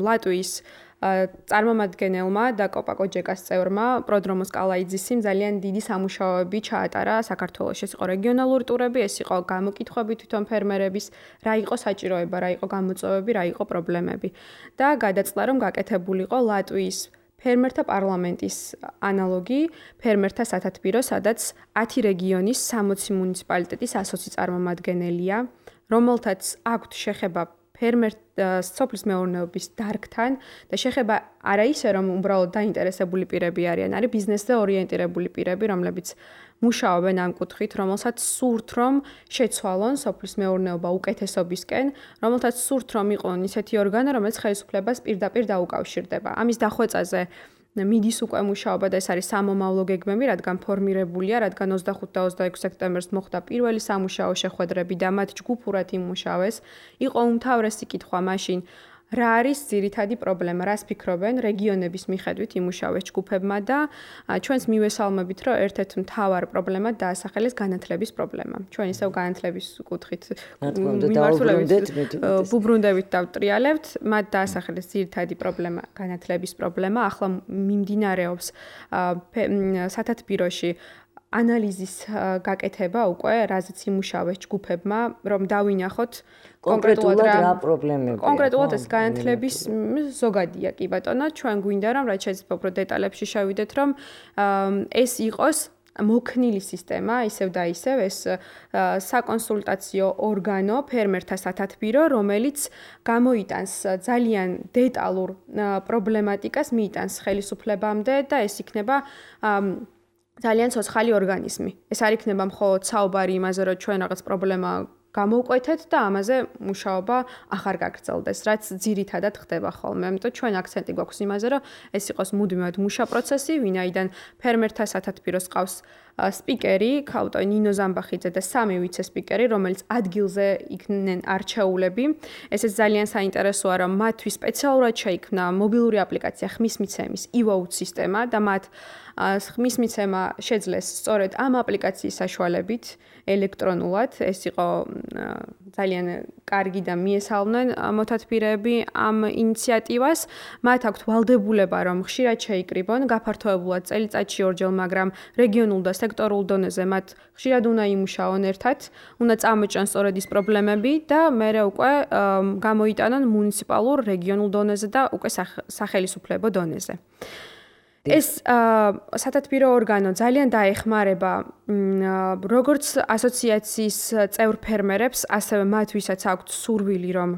ლატვიის წარმომადგენელმა და კოპაკოჯეკას წევრმა პროდრომოს კალაიძისიმ ძალიან დიდი სამუშაოები ჩაატარა საქართველოში. ეს იყო რეგიონალური ტურები, ეს იყო გამოკითხვები თვითონ ფერმერების, რა იყო საჭიროება, რა იყო გამოწვევები, რა იყო პრობლემები. და გადაწყდა, რომ გაკეთებულიყო ლატვიის ფერმერთა პარლამენტის ანალოგი ფერმერთა სათათბირო, სადაც ათი რეგიონის სამოცი მუნიციპალიტეტის ასოცი წარმომადგენელია, რომელთაც აქვთ შეხება ფერმერთა სოფლის მეურნეობის დარგთან და შეხება არა ისე, რომ უბრალოდ დაინტერესებული პირები არიან, არის ბიზნესზე ორიენტირებული პირები, რომლებიც მუშაობენ ამ კუთხით, რომელსაც სურთ, რომ შეცვალონ სოფლის მეურნეობა უკეთესობისკენ, რომელთაც სურთ, რომ იყონ ისეთი ორგანო, რომელიც ხელისუფლებას პირდაპირ დაუკავშირდება. ამის დახვეწაზე მიდის უკვე მუშაობა და ეს არის სამომავლო გეგმები, რადგან ფორმირებულია, რადგან ოცდახუთ და ოცდაექვსი სექტემბერს მოხდა პირველი სამუშაო შეხვედრები და მათ ჯგუფურად იმუშავეს. იყო უმთავრესი კითხვა მაშინ, რა არის ძირითადი პრობლემა, რას ფიქრობენ რეგიონების მიხედვით იმუშავეს ჯგუფებმა და ჩვენს მივესალმებით, რომ ერთ-ერთ მთავარ პრობლემად დაასახელეს განათლების პრობლემა. ჩვენ ისევ განათლების კუთხით ვუბრუნდებით და ვტრიალებთ, მათ დაასახელეს ძირითადი პრობლემა განათლების პრობლემა. ახლა მიმდინარეობს სათათბიროში ანალიზის გაკეთება უკვე, რაზეც იმუშავეს ჯგუფებმა, რომ დავინახოთ კონკრეტულად რა პრობლემებია. კონკრეტულად ეს განათლების ზოგადია, კი ბატონო, ჩვენ გვინდა რომ რაც შეიძლება უფრო დეტალებში შევიდეთ, რომ ეს იყოს მოქნილი სისტემა, ისევ და ისევ ეს საკონსულტაციო ორგანო, ფერმერთა სათათბირო, რომელიც გამოიტანს ძალიან დეტალურ პრობლემატიკას, მიიტანს ხელისუფლებამდე და ეს იქნება ძალიან ცოცხალი ორგანიზმი. ეს არ იქნება მხოლოდ საუბარი იმაზე, რომ ჩვენ რაღაც პრობლემა გამოვკვეთეთ და ამაზე მუშაობა ახარ გაგრძელდეს, რაც ძირითადად ხდება ხოლმე. ამიტომ ჩვენ აქცენტი გვაქვს იმაზე, რომ ეს იყოს მუდმივად მუშა პროცესი, ვინაიდან ფერმერთა სათათბიროს ყავს სპიკერი, ქალბატონი ნინო ზამბახიძე და სამი ვიცე-სპიკერი, რომელიც ადგილზე იქნენ არჩეულები. ესეც ძალიან საინტერესოა, რომ მათთვის სპეციალურად შეიქმნა მობილური აპლიკაცია ხმის მიცემის ი-ვოუტ სისტემა და მათ ხმის მიცემა შეძლეს სწორედ ამ აპლიკაციის საშუალებით ელექტრონულად. ეს იყო ძალიან კარგი და მიესალმნენ მოთათბირეები ამ ინიციატივას. მათ აქვთ ვალდებულება, რომ ხშირად შეიკრიბონ, გაფართოებულად წელიწადში ორჯერ, მაგრამ რეგიონულ და სექტორულ დონეზე მათ ხშირად უნდა იმუშაონ ერთად, უნდა წამოჭრან სწორედ ის პრობლემები და მერე უკვე გამოიტანონ მუნიციპალურ, რეგიონულ დონეზე და უკვე სახელისუფლებო დონეზე. ეს სათათბირო ორგანო ძალიან დაეხმარება როგორც ასოციაციის წევრ ფერმერებს, ასევე მათ, ვისაც აქვთ სურვილი, რომ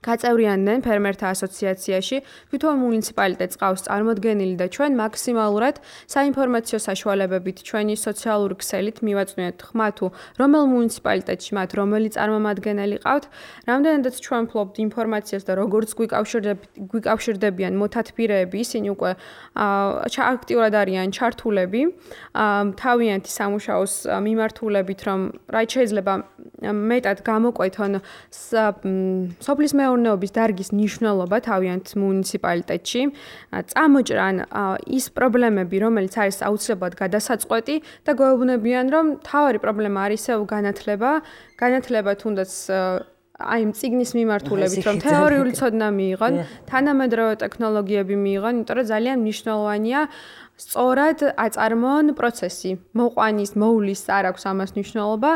გაწევრიანდნენ ფერმერთა ასოციაციაში, თვითონ მუნიციპალიტეტს ყავს წარმოდგენილი და ჩვენ მაქსიმალურად საინფორმაციო საშუალებებით ჩვენი სოციალური ქსელით მივაწვდით ხმა თუ რომელ მუნიციპალიტეტში მათ რომელი წარმომადგენელი ყავთ, რამდენადაც ჩვენ ვფლობთ ინფორმაციას და როგორც გვიკავშირდებიან მოთათბირეები, ისინი უკვე აქტიურად არიან ჩართულები, თავიანთი სამუშაოს მიმართულებით, რომ რაც შეიძლება მეტად გამოკვეთონ სოფლის მეურნეობის დარგის მნიშვნელობა თავიანთ მუნიციპალიტეტში, წამოჭრან ის პრობლემები, რომელიც არის აუცილებლად გადასაწყვეტი და გვეუბნებიან, რომ თავარი პრობლემა არის ისევ განათლება, განათლება თუნდაც აი იმ წიგნის მიმართულებით, რომ თეორიული ცოდნა მიიღონ, თანამედროვე ტექნოლოგიები მიიღონ, იმიტომ რომ ძალიან მნიშვნელოვანია სწორად აწარმოონ პროცესი. მოყვანის, მოვლის არ აქვს ამას მნიშვნელობა.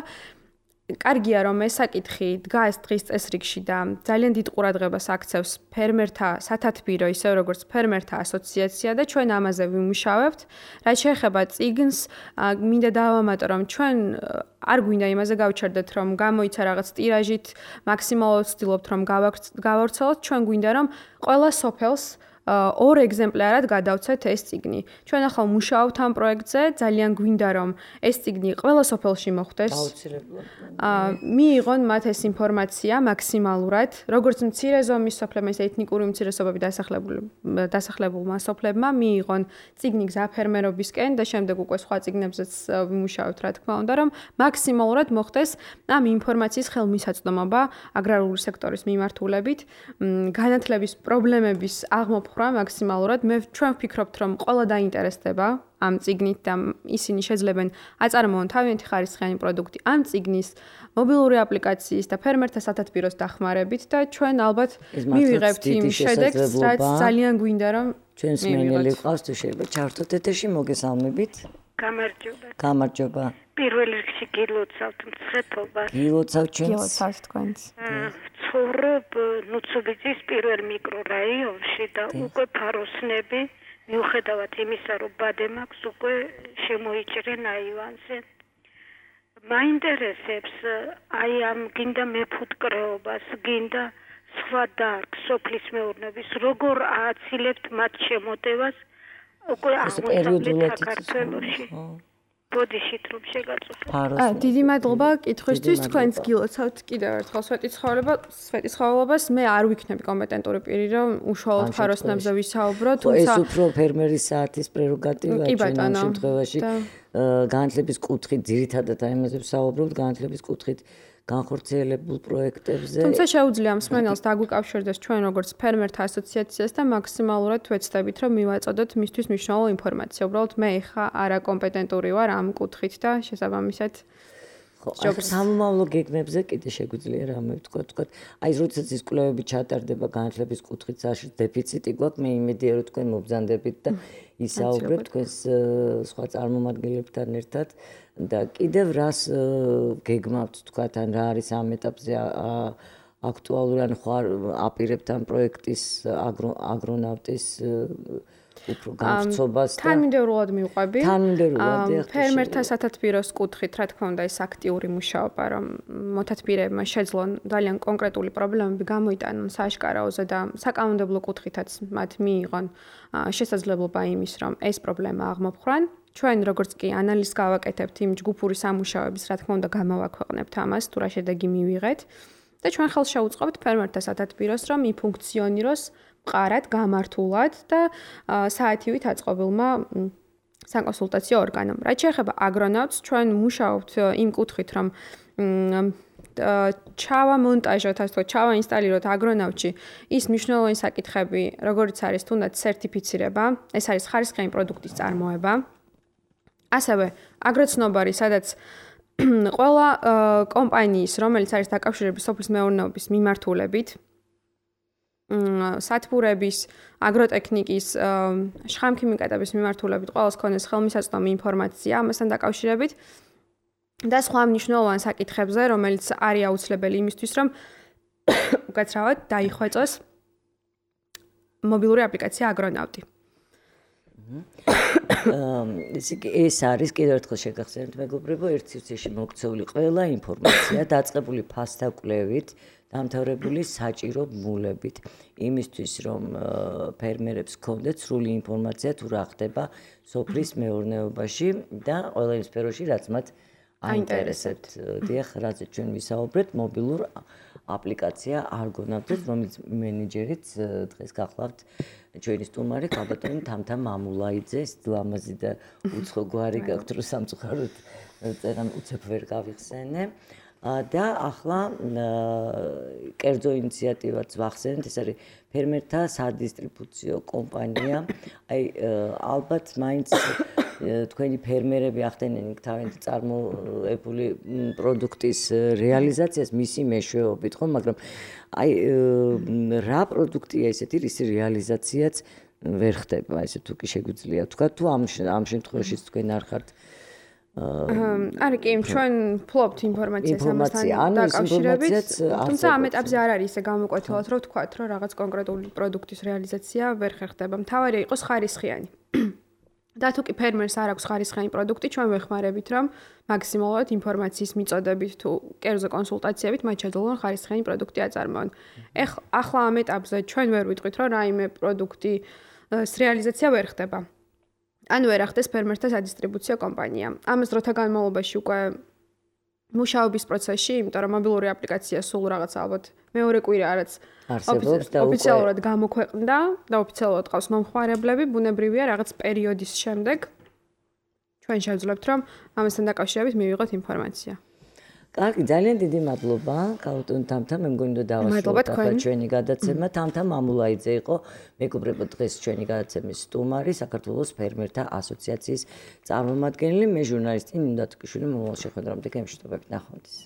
კარგია, რომ ეს საკითხი დგას დღის წესრიგში და ძალიან დიდ ყურადღებას აქცევს ფერმერთა სათათბირო, ისე როგორც ფერმერთა ასოციაცია და ჩვენ ამაზე ვიმუშავებთ. რაც შეეხება წიგნს, მინდა დავამატო, რომ ჩვენ არ გვინდა იმაზე გავჩერდეთ, რომ გამოიცა რაღაც ტირაჟით, მაქსიმალურად ვცდილობთ, რომ გავავრცელოთ, ჩვენ გვინდა, რომ ყველა სოფელს ორ ეგზემპლარად გადავცეთ ეს წიგნი. ჩვენ ახლა მუშაობთ ამ პროექტზე, ძალიან გვინდა რომ ეს წიგნი ყველა სოფელში მოხვდეს. მიიღონ მათ ეს ინფორმაცია მაქსიმალურად, როგორც მცირე ზომის სოფლებმა, ისე ეთნიკური უმცირესობები დასახლებულმა სოფლებმა მიიღონ წიგნი გზაფერმერობისკენ და შემდეგ უკვე სხვა წიგნებზეც ვიმუშავებთ, რა თქმა უნდა, რომ მაქსიმალურად მოხდეს ამ ინფორმაციის ხელმისაწვდომობა აგრარული სექტორის მიმართულებით, განათლების პრობლემების აღმოფხვრა მაქსიმალურად. მე ჩვენ ვფიქრობთ, რომ ყველა დაინტერესდება ამ წიგნით და ისინი შეძლებენ აწარმოონ თავიანთი ხარისხიანი პროდუქტი ამ წიგნის მობილური აპლიკაციის და ფერმერთა სათათბიროს დახმარებით და ჩვენ ალბათ მივიღებთ იმ შედეგს, რაც ძალიან გვინდა რომ ჩვენს მენელი ყავს თუ შეიძლება ჩართოთ ეთერში მოგესალმებით. გამარჯობა. გამარჯობა. პირველ რიგში გილოცავთ მცხეთობას. გილოცავთ ჩვენს. გილოცავთ თქვენს. ცხოვრობ ნუცუბიძის პირველ მიკრორაიონში და უკვე ფაროსნები მიუხედავად იმისა, რომ ბადე მაქვს, უკვე შემოიჭრენ აივანზე. მაინტერესებს აი ამ გინდა მეფუტკრეობას, გინდა სხვა დარგს სოფლის მეურნეობის, როგორ ააცილებთ მათ შემოტევას უკვე აღმოსავლეთ საქართველოში. ბოდიშით რომ შეგაწყვეტ. აა დიდი მადლობა კითხვისთვის, თქვენს გილოცავთ კიდევ ერთხელ სვეტიცხოვლება, სვეტიცხოვლებას. მე არ ვიქნები კომპეტენტური პირი, რომ უშუალოდ ფაროსნებზე ვისაუბრო, თუმცა ეს უფრო ფერმერის საათის პრეროგატივაა ჩვენ ამ შემთხვევაში. განათლების კუთხით ძირითადად აი ამაზე ვსაუბრობთ, განათლების კუთხით განხორციელებულ პროექტებზე. თუმცა შეუძლია მსმენელს დაგვიკავშირდეს ჩვენ როგორც ფერმერთა ასოციაციას და მაქსიმალურად ვეცდებით, რომ მივაწოდოთ მისთვის მნიშვნელოვანი ინფორმაცია. უბრალოდ მე ხა არაკომპეტენტური ვარ ამ კუთხით და შესაბამისად ხო, სამომავლო გეგმებზე კიდე შეგვიძლია რამე ვთქვა, თქვა. აი, როდესაც ის კვლევები ჩატარდება განათლების კუთხით, საშიშ დეფიციტი გვაქვს, მე იმედია, რომ თქვენ მობრძანდებით და ისაუბრებთ თქვენს სხვა წარმომადგენლებთან ერთად და კიდევ რას გეგმავთ, თქვა, ან რა არის ამ ეტაპზე აქტუალური, ან ხო აპირებთ ამ პროექტის აგრონავტის უფრო გამწობას და თანმიმდევრულად მივყვები. თანმიმდევრულად ფერმერთა სათათბიროს კუთხით, რა თქმა უნდა, ეს აქტიური მუშაობა, რომ მოთათბირეებმა შეძლონ ძალიან კონკრეტული პრობლემები გამოიტანონ სააშკარაოზე და საკანონმდებლო კუთხითაც მათ მიიღონ შესაძლებლობა იმის, რომ ეს პრობლემა აღმოფხვრან. ჩვენ როგორც კი ანალიზს გავაკეთებთ იმ ჯგუფური სამუშაოების, რა თქმა უნდა, გამოვაქვეყნებთ ამას, თუ რა შედეგი მივიღეთ და ჩვენ ხელს შეუწყობთ ფერმერთა სათათბიროს, რომ იფუნქციონიროს მყარად, გამართულად და საათივით აწყობილმა საკონსულტაციო ორგანომ. რაც შეეხება აგრონავტს, ჩვენ მუშაობთ იმ კუთხით, რომ ჩავა მონტაჟოთ, ასე თქო, ჩავა ინსტალიროთ აგრონავტში ის მნიშვნელოვანი საკითხები, როგორიც არის თუნდაც სერტიფიცირება, ეს არის ხარისხიანი პროდუქტის წარმოება. ასევე აგროცნობარი, სადაც ყველა კომპანიის, რომელიც არის დაკავშირებული სოფლის მეურნეობის მიმართულებით, სათბურების, აგროტექნიკის, შხამქიმიკატების მიმართულებით ყველას ქონდეს ხელმისაწვდომი ინფორმაცია ამასთან დაკავშირებით და სხვა მნიშვნელოვან საკითხებზე, რომელიც არის აუცილებელი იმისთვის, რომ უკაცრავად დაიხვეწოს მობილური აპლიკაცია აგრონავტი. ეს არის კიდევ ერთხელ შეგახსენებთ მეგობრებო, ერთ სივრცეში მოქცეული ყველა ინფორმაცია დაწყებული ფასდაკვლევით, დამთავრებული საჭირო ბმულებით, იმისთვის რომ ფერმერებს ჰქონდეთ სრული ინფორმაცია თუ რა ხდება სოფლის მეურნეობაში და ყველა იმ სფეროში, რაც მათ აინტერესებთ. დიახ, რაც ჩვენ ვისაუბრეთ, მობილურ აპლიკაცია არგონავტის, რომელიც მენეჯერიც დღეს გახლავთ ჩვენი სტუმარი ქალბატონი თამთა მამულაიძე, ლამაზი და უცხო გვარი გაქვთ, რომ სამწუხაროდ წერან უცებ ვერ გავიხსენე. და ახლა კერძო ინიციატივაც ვახსენეთ, ეს არის ფერმერთა სადისტრიბუციო კომპანია. აი ალბათ მაინც თქვენი ფერმერები ახდენენ თავიანთი წარმოებული პროდუქტის რეალიზაციას მისი მეშვეობით, ხო, მაგრამ აი რა პროდუქტია ესეთი, რის რეალიზაციაც ვერ ხდება, ესე თუ კი შეგვიძლია თქვა, თუ ამ ამ შემთხვევაში თქვენ არ ხართ არის კი, ჩვენ ფლობთ ინფორმაციას ამასთან დაკავშირებით, თუმცა ამ ეტაპზე არ არის ისე გამოკვეთილად, რომ ვთქვათ, რომ რაღაც კონკრეტული პროდუქტის რეალიზაცია ვერ ხერხდება. მთავარია იყოს ხარისხიანი. და თუ კი ფერმერს არ აქვს ხარისხიანი პროდუქტი, ჩვენ ვეხმარებით, რომ მაქსიმალურად ინფორმაციის მიწოდებით თუ კერძო კონსულტაციებით მათ შეძლონ ხარისხიანი პროდუქტი აწარმოონ. ახლა ამ ეტაპზე ჩვენ ვერ ვიტყვით, რომ რაიმე პროდუქტის რეალიზაცია ვერ ხდება. ან ვერ ახდეს ფერმერთა სადისტრიბუციო კომპანია. ამას დროთა განმავლობაში უკვე მუშაობის პროცესში, იმიტომ რომ მობილური აპლიკაცია სულ რაღაც ალბათ მეორე კვირა რაც ოფიციალურად გამოქვეყნდა და ოფიციალურად ყავს მომხმარებლები, ბუნებრივია რაღაც პერიოდის შემდეგ ჩვენ შევძლებთ, რომ ამასთან დაკავშირებით მივიღოთ ინფორმაცია. კარგი, ძალიან დიდი მადლობა, ქალბატონ თამთა, მე მგონი რომ დავასრულოთ ახლა ჩვენი გადაცემა. თამთა მამულაიძე იყო მეგობრებო დღეს ჩვენი გადაცემის სტუმარი, საქართველოს ფერმერთა ასოციაციის წარმომადგენელი, მე ჟურნალისტი ნინო დათუკიშვილი, მომავალ შეხვედრამდე გემშვიდობებით, ნახვამდის.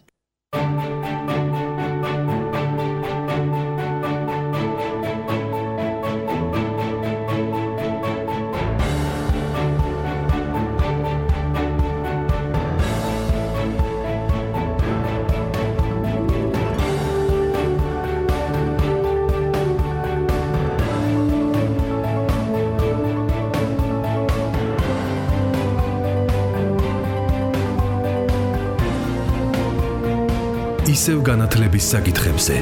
ისევ განათლების საკითხებზე